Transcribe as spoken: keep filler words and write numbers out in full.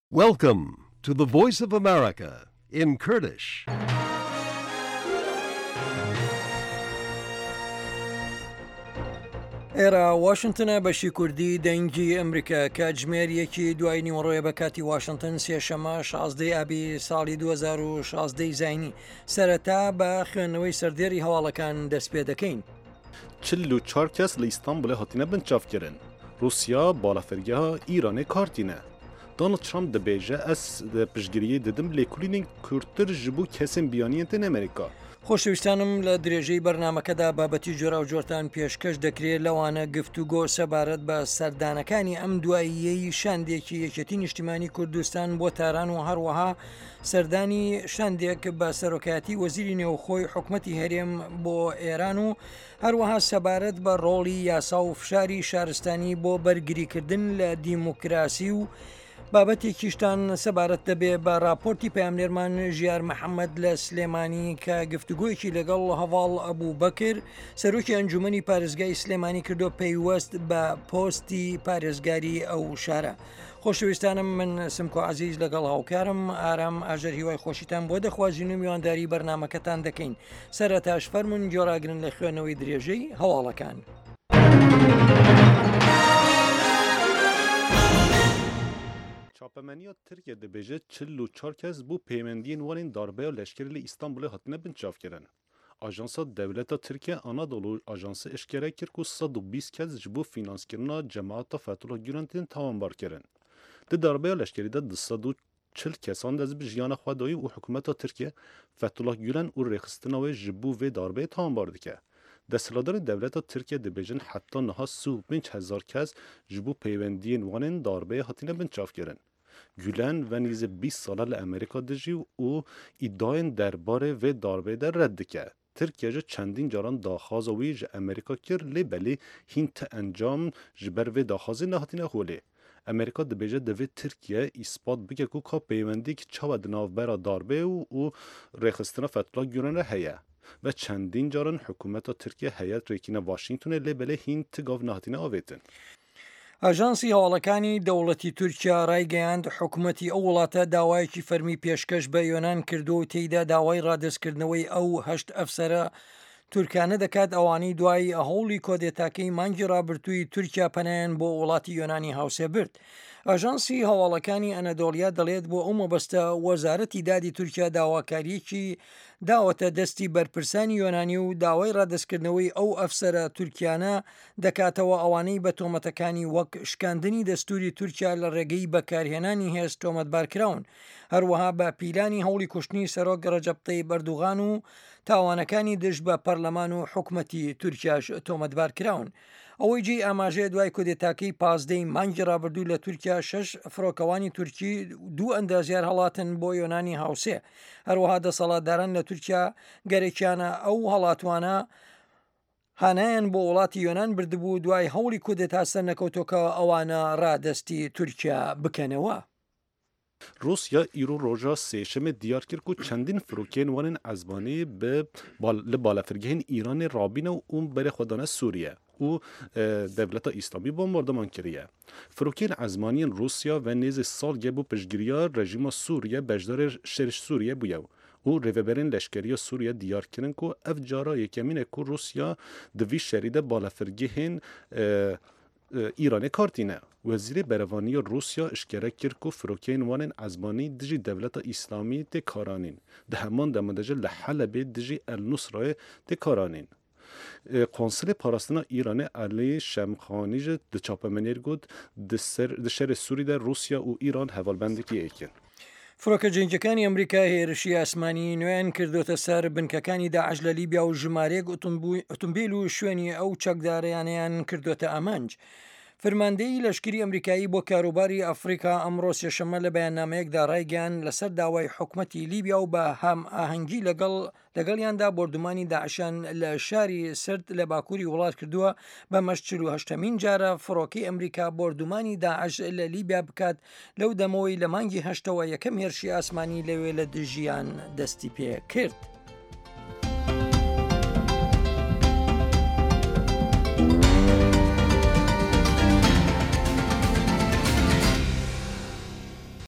Welcome to the Voice of America in Kurdish. ئێرە واشنتنە بەشی کوردی دەنگی ئەمریکا کاتژمێر یەکی دوای نیوەڕۆیە بە کاتی واشنتن سێشەمە شازدەی ئابی ساڵی دوو هەزار و شازدە ی زاینی. سەرەتا بە خوێندنەوەی سەردێڕی هەواڵەکان دەست پێ دەکەین. چل و چوار کەس li Îstanbulê hatine binçavkirin. Rûsya balafirgeha Îranê kar tîne. Donald Trump dibêje ez piştgiriyê didim lêkolînên kûrtir ji bo kesên biyaniyên tên Amerîka. خۆشەویستانم لە درێژەی بەرنامەکەدا بابەتی جۆراوجۆرتان پێشکەش دەکرێت لەوانە گفتوگۆ سەبارەت بە سەردانەکانی ئەم دواییەی شاندێکی یەکێتی نیشتیمانی کوردستان بۆ تاران و هەروەها سەردانی شاندێک بە سەرۆکایەتی وەزیری نێوخۆی حکومەتی هەرێم بۆ ئێران و هەروەها سەبارەت بە ڕۆڵی یاسا و فشاری شارستانی بۆ بەرگریکردن لە دیموکراسی و بابەتێکیشتان سەبارەت دەبێ بە راپۆرتی پەیامنێرمان ژیار محەممەد لە سلێمانی کە گفتوگۆیەکی لەگەڵ هەواڵ ئەبوو بەکر سەرۆکی ئەنجومەنی پارێزگای سلێمانی کردو پەیوەست بە پۆستی پارێزگاری ئەو شارە. خۆشەویستانم من سمکۆ عەزیز لەگەڵ هاوکارم ئارام ئاژەر هیوای خۆشیتان بۆ دەخوازین و میوانداری بەرنامەکەتان دەکەین. سەرەتاش فەرمونون گۆڕاگرن لە خوێنەوەی درێژەی هەواڵەکان. Çapemeniya Tirkiye dibêje çil û çar kes bû peywendiyên wan ên darbeya leşkerî li Îstanbulê hatine binçavkirin. Ajansa Dewleta Tirkiye Anadolu Ajansı eşkere kir ku sed û bîst kes ji bo fînanskirina cemaeta Fethullah Gülen tên tawanbarkirin. Di darbeya leşkerî de du sed û çil kesan dest bi jiyana xwe dayî û hikûmeta Tirkiye Fethullah Gülen û rêxistina wê ji bo vê darbeyê tawanbar dike. Desthilatdarê dewleta Tirkiye dibêjin heta niha sî û pênc hezar kes ji bo peywendiyên wan ên darbeyê hatine binçavkirin. Gülen ve nêzî bîst sale li Amerîka dijî û îdiayên derbarê vê darbeyê de red dike. Tirkiye ji çendîn caran daxwaza wî ji Amerîka kir lê belê hîn ti encam ji ber vê daxwazê nehatine holê. Amerîka dibêje divê Tirkiye îspat bike ku ka peywendiyek çawa di navbera darbeyê û rêxistina Fethullah Gülen re heye. Ve çendîn caran hikûmeta Tirkiye heyet rêkîna Washingtonê lê belê hîn ti gav nehatine avêtin. ئاژانسی هەواڵەکانی دەوڵەتی تورکیا ڕایگەیاند حکوومەتی ئەو وڵاتە داوایەکی فەرمی پێشکەش بە یۆناان کردو و تێیدا داوای ڕادەستکردنەوەی ئەو هەشت ئەفسەرە تورکانە دەکات ئەوانەی دوای هەوڵی کۆدێتاکەی مانگی ڕابردووی تورکیا پەنایان بۆ وڵاتی یۆنانی هاوسێ برد. ئاژانسی هەواڵەکانی ئەنەدۆڵیا دەڵێت بۆ ئەو مەبەستە وەزارەتی دادی تورکیا داواکاریەکی داوەتە دەستی بەرپرسانی یۆنانی و داوای ڕادەستکردنەوەی ئەو ئەفسەرە تورکیانە دەکاتەوە ئەوانەی بە تۆمەتەکانی وەک شکاندنی دەستوری تورکیا لە ڕێگەی بەکارهێنانی هێز تۆمەتبارکراون. هەروەها بە پیلانی هەوڵی کوشتنی سەرۆک ڕەجەب تەیب ئەردوغان و تاوانەکانی دژ بە پەرلەمان و حکومەتی تورکیاش تۆمەتبارکراون. ئەوەی جێی ئاماژەیە دوای کودێتاکەی پازدەی مانگی ڕابردوو لە تورکیا شەش فڕۆکەوانی تورکی دوو ئەندازیار هەڵاتن بۆ یۆنانی هاوسێ. هەروەها دەسەڵاتداران لە تورکیا گەرەکیانە ئەو هەڵاتوانە هانایان بۆ وڵاتی یۆناان بردبوو دوای هەوڵی کودێتا سەرنەکەوتۆکە ئەوانە ڕادەستی تورکیا بکەنەوە. Rûsya îro roja sêşemê diyar kir ku çendîn firokeyên wan ên ezmanî bi li balafirgehên Îranê rabîne û berê xwe dane Sûriye û Dewleta Îslamî bombardıman kiriye. Firokeyên ezmaniyên Rûsya ve nêzî salge bû piştgiriya rejîma Sûriye beşdarê şerê Sûriye bûye û rêveberên leşkeriya Sûriye diyar kirin ku ev cara yekemîn e ku Rûsya di vî şerî de balafirgehên Îranê kar tîne. Wezîrê Berevaniya Rûsya eşkere kir ku firokeyên wan ên ezmanî dijî Dewleta Îslamî tê karanîn. Di heman demê de jî li Helebê dijî El Nusrayê tê karanîn. Konsilê Parastina Îranê Elî Şemxanî jî di çapemeniyê got di şerê Sûrî de Rûsya û Îran hevalbendekî êkin. فڕۆکە جەنگەکانی ئەمریکا هێرشی ئاسمانی نوێیان کردوتە سەر بنکەکانی داعش لە لیبیا و ژمارەیەک ئۆتۆمبیل و شوێنی ئەو چەکدارەیانیان کردوتە ئامانج. فەرماندەیی لەشکری ئەمریکایی بۆ کاروباری ئەفریقا ئەمڕۆ سێشەممە لە بەیاننامەیەکدا ڕایگەیاند لەسەر داوای حکومەتی لیبیا و بە هەم ئاهەنگی لەگەڵ لەگەڵیاندا بۆردومانی داعشیان لە شاری سرد لە باکووری وڵات کردووە بەمەش چل و هەشتەمین جارە فڕۆکەی ئەمریکا بۆردومانی داعش لە لیبیا بکات لەو دەمەوەی لە مانگی هەشتەوە یەکەم هێرشی ئاسمانی لەوێ لە دژیان دەستی پێ کرد.